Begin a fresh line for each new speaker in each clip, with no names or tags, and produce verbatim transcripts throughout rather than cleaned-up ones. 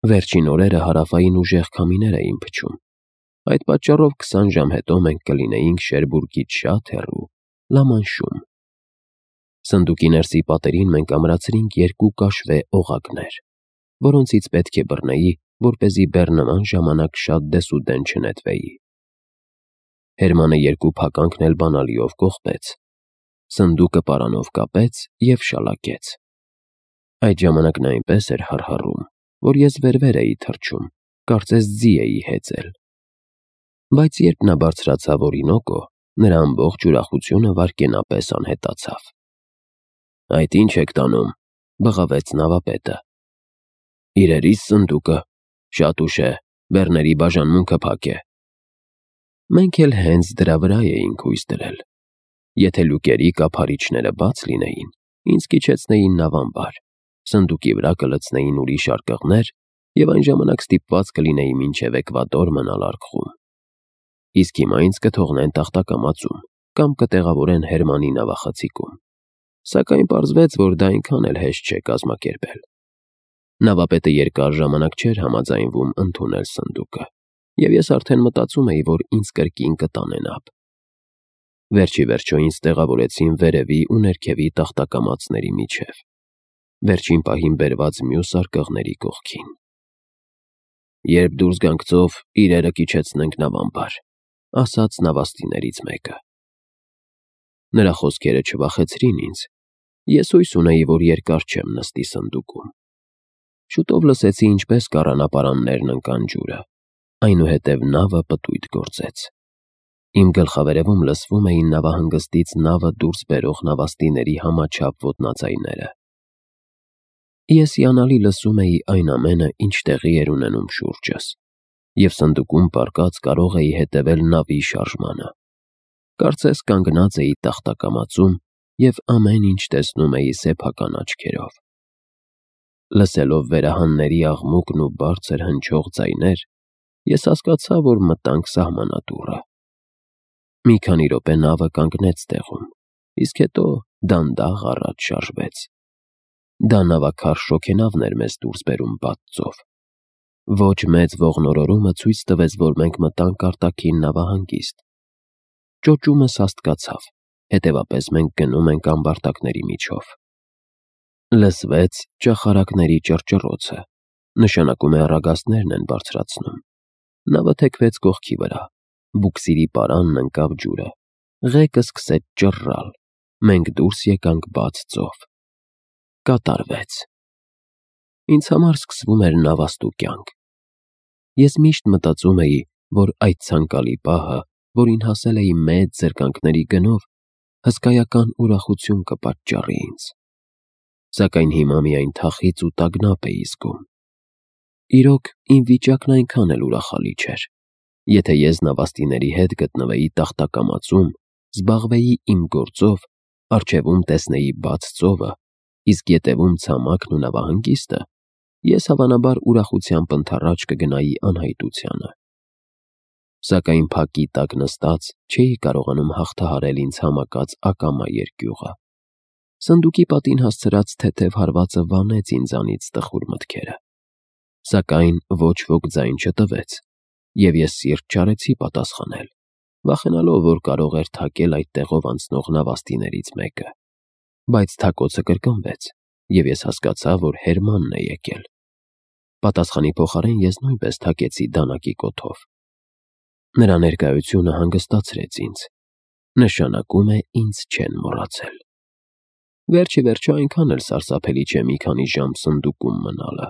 Վերջին օրերը հարավային ուժեղ քամիներ էին փչում, այդ պատճառով քսան ժամ հետո մենք կլինեինք Շերբուրգից շատ հեռու, Լամանշում։ Սնդուկի ներսի պատերին մենք ամրացրինք երկու կաշվե օղակներ, որոնցից պետք է բռնեի, որպեսզի բեռնման ժամանակ շատ դեսուդեն չնետվեի։ Հերմանը երկու փականքն էլ բանալիով կողպեց, սնդուկը պարանով կապեց և շալակեց։ Այդ ժամանակ նա այնպես էր հառհառում, որ ես վեր-վեր էի թռչում, կարծես ձի էի հեծել։ Բայց երբ նա բարձրացավ օրինոկո, նրա ամբողջ ուրախությունը վայրկենապես անհետացավ։ «Այդ ի՞նչ եք տանում», բղավեց նավապետը։ «Իրերիս սնդուկը, շատ ուշ է, բեռների բաժանմունքը փակ է»։ Մենք էլ հենց դրա վրա էինք հույս դրել։ Եթե լուկերի կափարիչները բաց լինեին, ինձ կիջեցնեին նավամբար, սնդուկի վրա կլցնեին ուրիշ արկղներ և այն ժամանակ ստիպված կլինեի մինչև Էկվադոր մնալ արկղում։ Իսկ հիմա ինձ կթողնեն տախտակամածում կամ կտեղավորեն Հերմանի նավախցիկում։ Սակայն պարզվեց, որ դա այնքան էլ հեշտ չէ կազմակերպել։ Նավապետը երկար ժամանակ չէր համաձայնվում ընդունել սնդուկը, և ես արդեն մտածում էի, որ ինձ կրկին կտանեն ափ։ Վերջ ի վերջո ինձ տեղավորեցին վերևի ու ներքևի տախտակամածների միջև, վերջին պահին բերված մյուս արկղների կողքին։ «Երբ դուրս գանք ծով, իրերը կիջեցնենք նավամբար», ասաց նավաստիներից մեկը։ Նրա խոսքերը չվախեցրին ինձ։ Ես հույս ունեի, որ երկար չեմ նստի սնդուկում։ Շուտով լսեցի, ինչպես կառանապարաններն ընկան ջուրը, այնուհետև նավը պտույտ գործեց։ Իմ գլխավերևում լսվում էին նավահանգստից նավը դուրս բերող նավաստիների համաչափ ոտնաձայները։ Ես հիանալի լսում էի այն ամենը, ինչ տեղի էր ունենում շուրջս, և սնդուկում պառկած կարող էի հետևել նավի շարժմանը։ Կարծես կանգնած էի տախտակամածում և ամեն ինչ տեսնում էի սեփական աչքերով։ Լսելով վերահանների աղմուկն ու բարձր հնչող ձայներ, ես հասկացա, որ մտանք սահմանադուռը։ Մի քանի րոպե նավը կանգնեց տեղում, իսկ հետո դանդաղ առաջ շարժվեց։ Դա նավաքարշ շոգենավն էր մեզ դուրս բերում բաց ծով։ Ոչ մեծ ողնորորումը ցույց տվեց, որ մենք մտանք արտաքին նավահանգիստ։ Ճոճումը սաստկացավ, հետևապես մենք գնում ենք ամբարտակների միջով։ Լսվեց ճախարակների ճռճռոցը, նշանակում է առագաստներն են բարձրացնում։ Նավը թեքվեց կողքի վրա, բուքսիրի պարանն ընկավ ջուրը, ղեկը սկսեց ճռռալ, մենք դուրս եկանք բաց ծով։ Կատարվեց։ Ինձ համար սկսվում էր նավաստու կյանք։ Ես միշտ մտածում էի, որ այդ ցանկալի պահը, որին հասել էի մեծ զրկանքների գնով, հսկայական ուրախություն կպատճառի ինձ։ Սակայն հիմա միայն թախիծ ու տագնապ էի զգում։ Իրոք, իմ վիճակն այնքան էլ ուրախալի չէր։ Եթե ես նավաստիների հետ գտնվեի տախտակամածում, զբաղվեի իմ գործով, առջևում տեսնեի բաց ծովը, իսկ ետևում ցամաքն ու նավահանգիստը, ես հավանաբար ուրախությամբ ընդառաջ կգնայի անհայտությանը։ Սակայն փակի տակ նստած չէի կարողանում հաղթահարել ինձ համակած ակամա երկյուղը։ Սնդուկի պատին հասցրած թեթև հարվածը վանեց ինձանից տխուր մտքերը։ Սակայն ոչ ոք ձայն չտվեց, և ես սիրտ չարեցի պատասխանել, վախենալով, որ կարող էր թակել այդ տեղով անցնող նավաստիներից մեկը։ Բայց թակոցը կրկնվեց, և ես հասկացա, որ Հերմանն է եկել։ Պատասխանի փոխարեն ես նույնպես թակեցի դանակի կոթով։ Նրա ներկայությունը հանգստացրեց ինձ։ Նշանակում է, ինձ չեն մոռացել։ Վերջ ի վերջո այնքան էլ սարսափելի չէ մի քանի ժամ սնդուկում մնալը։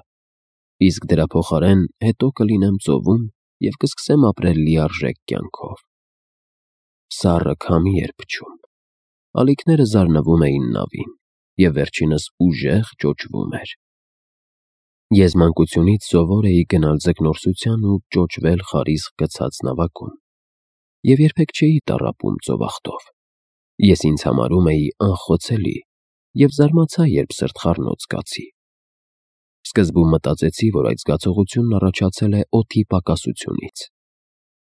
Իսկ դրա փոխարեն հետո կլինեմ ծովում և կսկսեմ ապրել լիարժեք կյանքով։ Սառը քամի էր փչում։ Ալիքները զարնվում էին նավին, և վերջինս ուժեղ ճոճվում էր։ Ես մանկությունից սովոր էի գնալ ձկնորսության ու ճոճվել խարիսկ գցած նավակում, և երբեք չէի տառապում ծովախտով։ Ես ինձ համարում էի անխոցելի և զարմացա, երբ սրտխառնոց զգացի։ Սկզբում մտածեցի, որ այդ զգացողությունն առաջացել է օդի պակասությունից։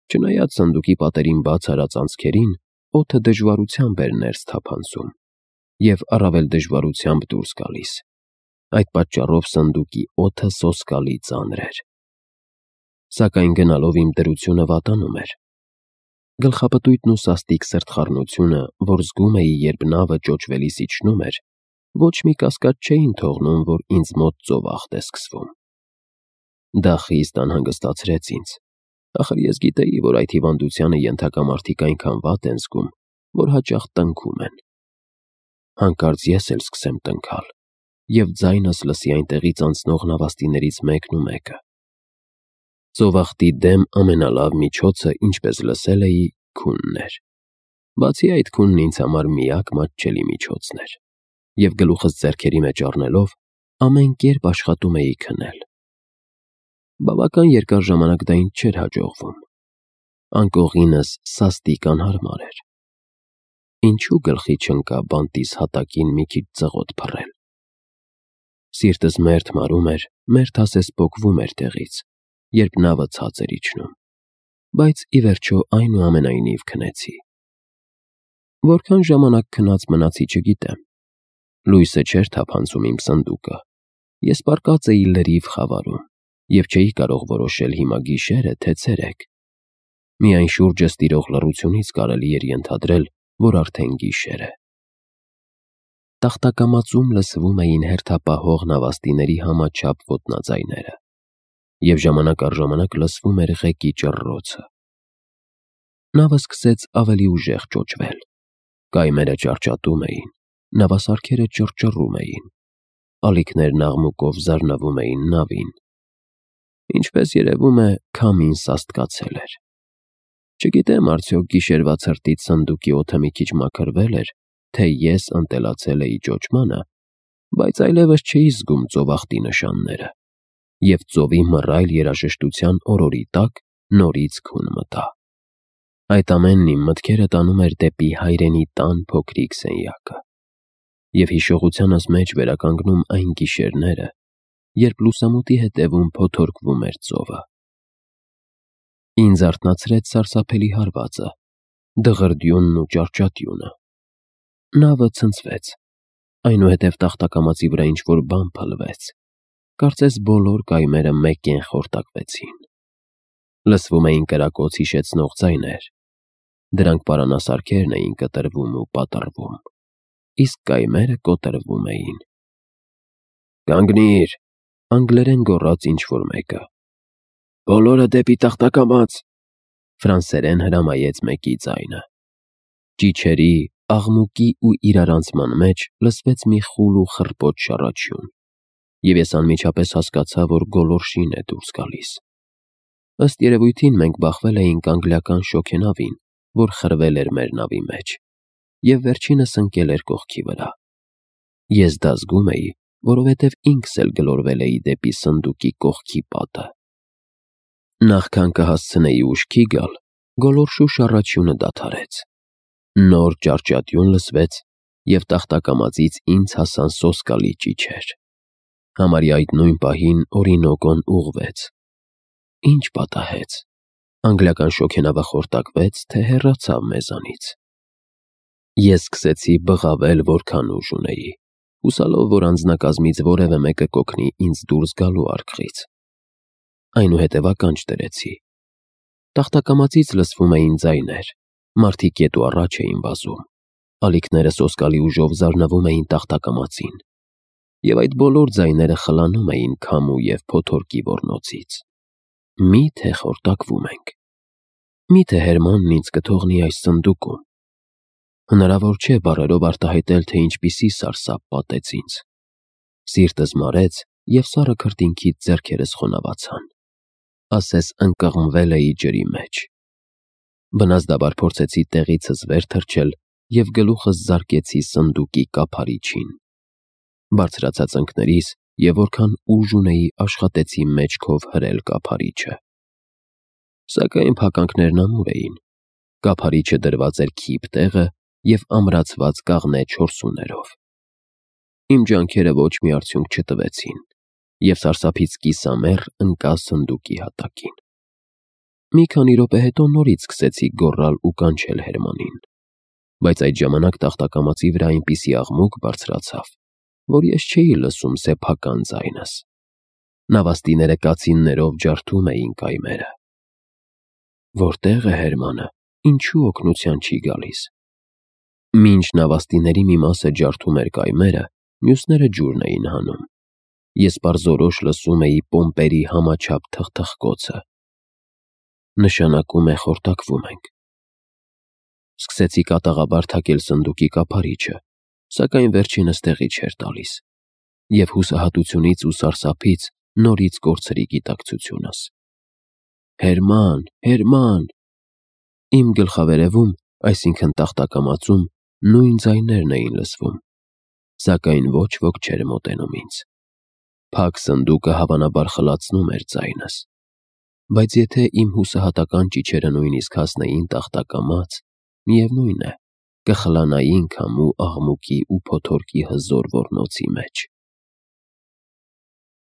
Չնայած սնդուկի պատերին բաց արած անցքերին, օդը դժվարությամբ էր ներս թափանցում և առավել դժվարությամբ դուրս գալիս։ Այդ պատճառով սնդուկի օդը սոսկալի ծանր էր։ Սակայն գնալով իմ դրությունը վատանում էր։ Գլխապտույտն ու սաստիկ սրտխառնությունը, որ զգում էի, երբ նավը ճոճվելիս իջնում էր, ոչ մի կասկած չէին թողնում, որ ինձ մոտ ծովախտ է սկսվում։ Դա խիստ անհանգստացրեց ինձ։ Ախր ես գիտեի, որ այդ հիվանդությանը ենթակա մարդիկ այնքան վատ են զգում, որ հաճախ տնքում են։ Հանկարծ ես էլ սկսեմ տնքալ, և ձայնս լսի այնտեղից անցնող նավաստիներից մեկն ու մեկը։ Ծովախտի դեմ ամենալավ միջոցը, ինչպես լսել էի, քունն էր։ Բացի այդ, քունն ինձ համար միակ մատչելի միջոցն էր, և գլուխս ձեռքերի մեջ առնելով, ամեն կերպ աշխատում էի քնել։ Բավական երկար ժամանակ դա ինձ չէր հաջողվում։ Անկողինս սաստիկ անհարմար էր։ Ինչու գլխի չընկա բանտիս հատակին մի քիչ ծղոտ փռել։ Սիրտս մերթ մարում էր, մերթ ասես պոկվում էր տեղից, երբ նավը ցած էր իջնում, բայց ի վերջո այնուամենայնիվ քնեցի։ Որքան ժամանակ քնած մնացի չգիտեմ։ Լույսը չէր թափանցում իմ սնդուկը։ Ես պառկած էի լրիվ խավարում և չէի կարող որոշել հիմա գիշեր է, թե ցերեկ։ Միայն շուրջս տիրող լռությունից կարելի էր ենթադրել, որ արդեն գիշեր է։ Տախտակամածում լսվում էին հերթապահող նավաստիների համաչափ ոտնաձայները, և ժամանակ առ ժամանակ լսվում էր ղեկի ճռռոցը։ Նավը սկսեց ավելի ուժեղ ճոճվել։ Կայմերը ճարճատում էին, նավասարքերը ճռճռում էին, ալիքներն աղմուկով զարնվում էին նավին։ Ինչպես երևում է, քամին սաստկացել էր։ Չգիտեմ արդյոք գիշերվա ցրտից սնդուկի օդը մի քիչ մաքրվել էր, թե ես ընտելացել էի ճոճմանը, բայց այլևս չէի զգում ծովախտի նշանները, և ծովի մռայլ երաժշտության օրորի տակ նորից քուն մտա։ Այդ ամենն իմ մտքերը տանում էր դեպի հայրենի տան փոքրիկ սենյակը, և հիշողությանս մեջ վերականգնում այն գիշերները, երբ լուսամուտի հետևում փոթորկվում էր ծովը։ Ինձ արթնացրեց սարսափելի հարվածը, դղրդյունն ու ճարճատյունը։ Նավը ցնցվեց, այնուհետև տախտակամածի վրա ինչ-որ բան փլվեց, կարծես բոլոր կայմերը մեկկեն խորտակվեցին։ Լսվում էին կրակոց հիշեցնող ձայներ։ Դրանք պարանասարքերն էին կտրվում ու պատռվում, իսկ կայմերը կոտրվում էին։ «Կանգնի՛ր», անգլերեն գոռաց ինչ-որ մեկը։ «Բոլորը դեպի տախտակամաց», ֆրանսերեն հրամայեց մեկի ձայնը։ Ճիչերի, աղմուկի ու իրարանցման մեջ լսվեց մի խուլ ու խռպոտ շառաչյուն, և ես անմիջապես հասկացա, որ գոլորշին է դուրս գալիս։ Ըստ երևույթին մենք բախվել էինք անգլիական շոգենավին, որ խրվել էր մեր նավի մեջ, և վերջինս ընկել էր կողքի վրա։ Ես դա զգում էի, որովհետև ինքս էլ գլորվել էի դեպի սնդուկի կողքի պատը։ Նախքան կհասցնեի ուշքի գալ, գոլորշու շառաչյունը դադարեց։ Նոր ճարճատյուն լսվեց, և տախտակամածից ինձ հասան սոսկալի ճիչեր։ Համարյա այդ նույն պահին Օրինոկոն ուղղվեց։ Ինչ պատահեց։ Անգլիական շոգենավը խորտակվեց, թե հեռացավ մեզանից։ Ես սկսեցի բղավել, որքան ուժ ունեի, հուսալով, որ անձնակազմից որևէ մեկը կօգնի ինձ դուրս գալու արկղից։ Այնուհետև ականջ դրեցի։ Տախտակամածից լսվում էին ձայներ, մարդիկ ետ ու առաջ էին վազում, ալիքները սոսկալի ուժով զարնվում էին տախտակամածին, և այդ բոլոր ձայները խլանում էին քամու և փոթորկի ոռնոցից։ Մի՞թե խորտակվում ենք։ Մի՞թե Հերմանն ինձ կթողնի այս սնդուկում։ Հնարավոր չէ բառերով արտահայտել, թե ինչպիսի սարսափ պատեց ինձ։ Սիրտս մարեց, և սառը քրտինքից ձեռքերս խոնավացան, ասես ընկղմվել էի ջրի մեջ։ Բնազդաբար փորձեցի տեղիցս վեր թռչել և գլուխս զարկեցի սնդուկի կափարիչին։ Բարձրացա ծնկներիս և որքան ուժ ունեի, աշխատեցի մեջքով հրել կափարիչը։ Սակայն փականքներն ամուր էին։ Կափարիչը դրված էր քիփ տեղը և ամրացված կաղնե չորսուներով։ Իմ ջանքերը ոչ մի արդյունք չտվեցին, և սարսափից կիսամեռ ընկա սնդուկի հատակին։ Մի քանի րոպե հետո նորից սկսեցի գոռալ ու կանչել Հերմանին, բայց այդ ժամանակ տախտակամածի վրա այնպիսի աղմուկ բարձրացավ, որ ես չէի լսում սեփական ձայնս։ Նավաստիները կացիններով ջարդում էին կայմերը։ Որտե՞ղ է Հերմանը, ինչու օգնության չի գալիս։ Մինչ նավաստիների մի մասը ջարդում էր կայմերը, մյուսները ջուրն էին հանում։ Ես պարզորոշ լսում էի պոմպերի համաչափ թխթխկոցը։ Նշանակում է խորտակվում ենք։ Սկսեցի կատաղաբար թակել սնդուկի կափարիչը, սակայն վերջինս տեղի չէր տալիս, և հուսահատությունից ու սարսափից նորից կորցրի գիտակցությունս։ Հերման, Հերման… Իմ գլխավերևում, այսինքն տախտակամածում, նույն ձայներն էին լսվում, սակայն ոչ ոք չէր մոտենում ինձ։ Փակ սնդուկը հավանաբար խլացնում էր ձայնս, բայց եթե իմ հուսահատական ճիչերը նույնիսկ հասնեին տախտակամաց, միևնույն է, կխլանային քամու աղմուկի ու փոթորկի հզոր ոռնոցի մեջ։